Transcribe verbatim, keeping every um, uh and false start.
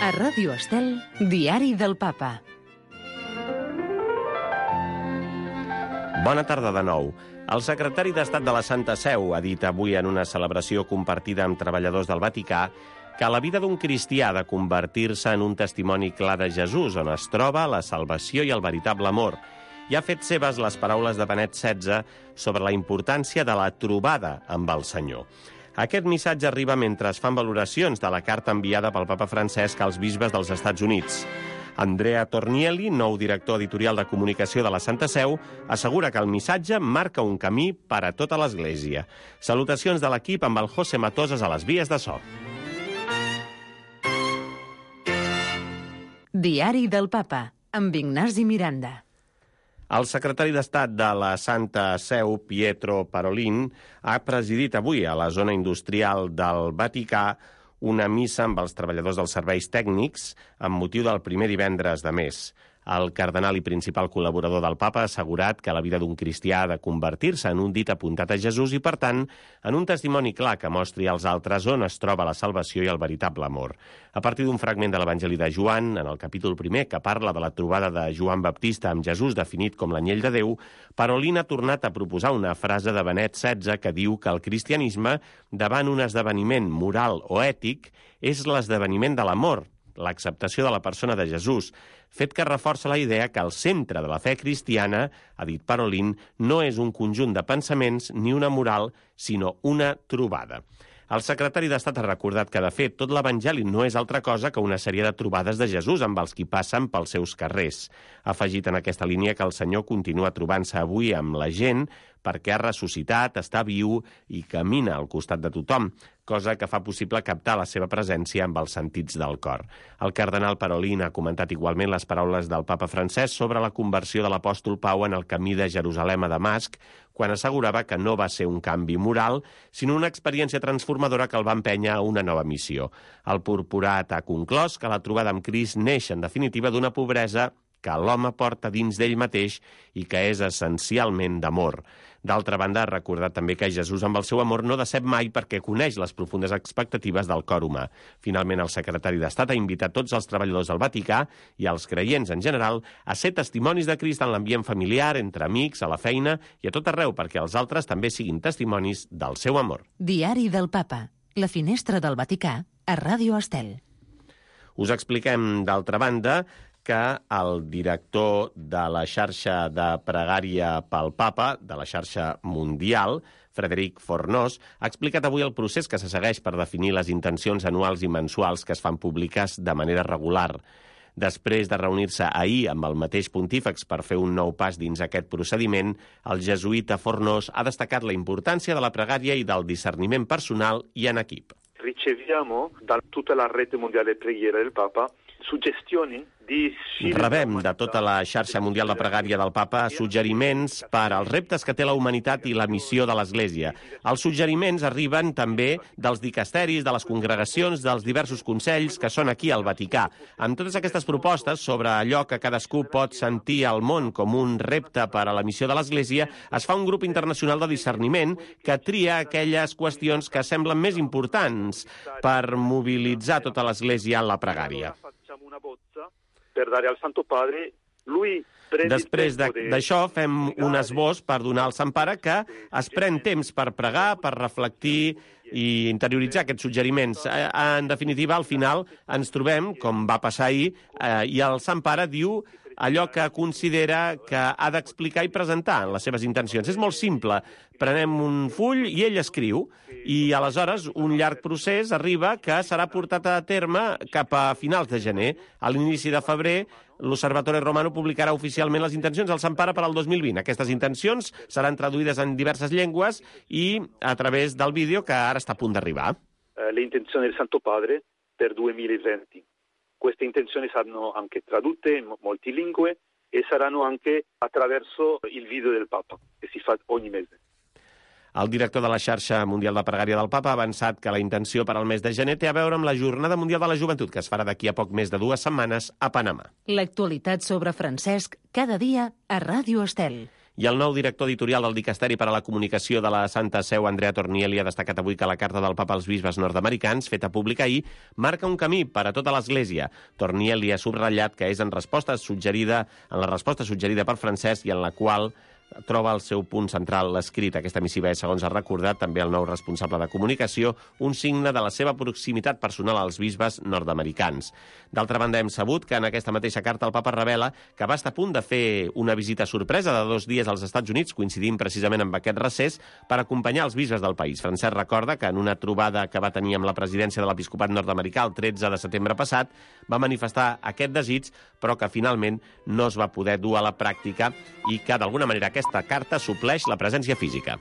A Ràdio Estel, Diari del Papa. Bona tarda de nou. El secretari d'Estat de la Santa Seu ha dit avui en una celebració compartida amb treballadors del Vaticà que la vida d'un cristià ha de convertir-se en un testimoni clar de Jesús, on es troba la salvació i el veritable amor. I ha fet seves les paraules de Benet setze sobre la importància de la trobada amb el Senyor. Aquest missatge arriba mentre es fan valoracions de la carta enviada pel papa Francesc als bisbes dels Estats Units. Andrea Tornielli, nou director editorial de comunicació de la Santa Seu, assegura que el missatge marca un camí per a tota l'Església. Salutacions de l'equip amb el José Matoses a les vies de so. Diari del Papa, amb Ignasi Miranda. El secretari d'Estat de la Santa Seu, Pietro Parolin, ha presidit avui a la zona industrial del Vaticà una missa amb els treballadors dels serveis tècnics amb motiu del primer divendres de mes. El cardenal i principal col·laborador del Papa ha assegurat que la vida d'un cristià ha de convertir-se en un dit apuntat a Jesús i, per tant, en un testimoni clar que mostri als altres on es troba la salvació i el veritable amor. A partir d'un fragment de l'Evangeli de Joan, en el capítol primer, que parla de la trobada de Joan Baptista amb Jesús definit com l'anyell de Déu, Parolin ha tornat a proposar una frase de Benet setze que diu que el cristianisme, davant un esdeveniment moral o ètic, és l'esdeveniment de l'amor, l'acceptació de la persona de Jesús, fet que reforça la idea que el centre de la fe cristiana, ha dit Parolin, no és un conjunt de pensaments ni una moral, sinó una trobada. El secretari d'Estat ha recordat que, de fet, tot l'Evangeli no és altra cosa que una sèrie de trobades de Jesús amb els qui passen pels seus carrers. Ha afegit en aquesta línia que el Senyor continua trobant-se avui amb la gent perquè ha ressuscitat, està viu i camina al costat de tothom, cosa que fa possible captar la seva presència amb els sentits del cor. El cardenal Parolin ha comentat igualment les paraules del papa Francesc sobre la conversió de l'apòstol Pau en el camí de Jerusalem a Damasc, quan assegurava que no va ser un canvi moral, sinó una experiència transformadora que el va empènyer a una nova missió. El purpurat ha conclòs que la trobada amb Crist neix, en definitiva, d'una pobresa que l'home porta dins d'ell mateix i que és essencialment d'amor. D'altra banda, ha recordat també que Jesús amb el seu amor no decep mai perquè coneix les profundes expectatives del cor humà. Finalment, el secretari d'Estat ha invitat tots els treballadors del Vaticà i els creients en general a ser testimonis de Crist en l'ambient familiar, entre amics, a la feina i a tot arreu perquè els altres també siguin testimonis del seu amor. Diari del Papa, la finestra del Vaticà, a Ràdio Estel. Us expliquem, d'altra banda, que el director de la xarxa de pregària pel Papa, de la xarxa mundial, Frederic Fornós, ha explicat avui el procés que se segueix per definir les intencions anuals i mensuals que es fan públiques de manera regular. Després de reunir-se ahir amb el mateix pontífex per fer un nou pas dins aquest procediment, el jesuïta Fornós ha destacat la importància de la pregària i del discerniment personal i en equip. Riceviamo da tutta la rete mondiale di preghiera del Papa suggestioni di... Rebem de tota la xarxa mundial de pregària del Papa suggeriments per als reptes que té la humanitat i la missió de l'Església. Els suggeriments arriben també dels dicasteris, de les congregacions, dels diversos consells que són aquí al Vaticà. Amb totes aquestes propostes sobre allò que cadascú pot sentir al món com un repte per a la missió de l'Església, es fa un grup internacional de discerniment que tria aquelles qüestions que semblen més importants per mobilitzar tota l'Església en la pregària. Per dare al Santo Padre, lui Després d'això fem un esbós per donar al Sant Pare que es pren temps per pregar, per reflectir i interioritzar aquests suggeriments. En definitiva, al final ens trobem, com va passar ahir, i el Sant Pare diu allò que considera que ha d'explicar i presentar en les seves intencions. És molt simple. Prenem un full i ell escriu, i aleshores un llarg procés arriba que serà portat a terme cap a finals de gener. A l'inici de febrer, l'Osservatore Romano publicarà oficialment les intencions del Sant Pare per al dos mil vint. Aquestes intencions seran traduïdes en diverses llengües i a través del vídeo que ara està a punt d'arribar. Le intenzioni del Santo Padre per duemilaventi. Queste intenzioni saranno anche tradotte in molte lingue e saranno anche attraverso il video del Papa, che si fa ogni mese. El director de la xarxa mundial de pregària del Papa ha avançat que la intenció per al mes de gener té a veure amb la Jornada Mundial de la Joventut, que es farà d'aquí a poc més de dues setmanes a Panamà. L'actualitat sobre Francesc, cada dia a Ràdio Estel. I el nou director editorial del Dicasteri per a la Comunicació de la Santa Seu, Andrea Tornielli, ha destacat avui que la carta del papa als bisbes nord-americans, feta pública ahir, marca un camí per a tota l'Església. Tornielli ha subratllat que és en resposta suggerida, en la resposta suggerida per Francesc i en la qual troba el seu punt central l'escrit. Aquesta missiva és, segons ha recordat també el nou responsable de comunicació, un signe de la seva proximitat personal als bisbes nord-americans. D'altra banda, hem sabut que en aquesta mateixa carta el papa revela que va estar a punt de fer una visita sorpresa de dos dies als Estats Units, coincidint precisament amb aquest recés, per acompanyar els bisbes del país. Francesc recorda que en una trobada que va tenir amb la presidència de l'Episcopat nord-americà el tretze de setembre passat va manifestar aquest desig, però que finalment no es va poder dur a la pràctica i que, d'alguna manera, aquesta carta supleix la presència física.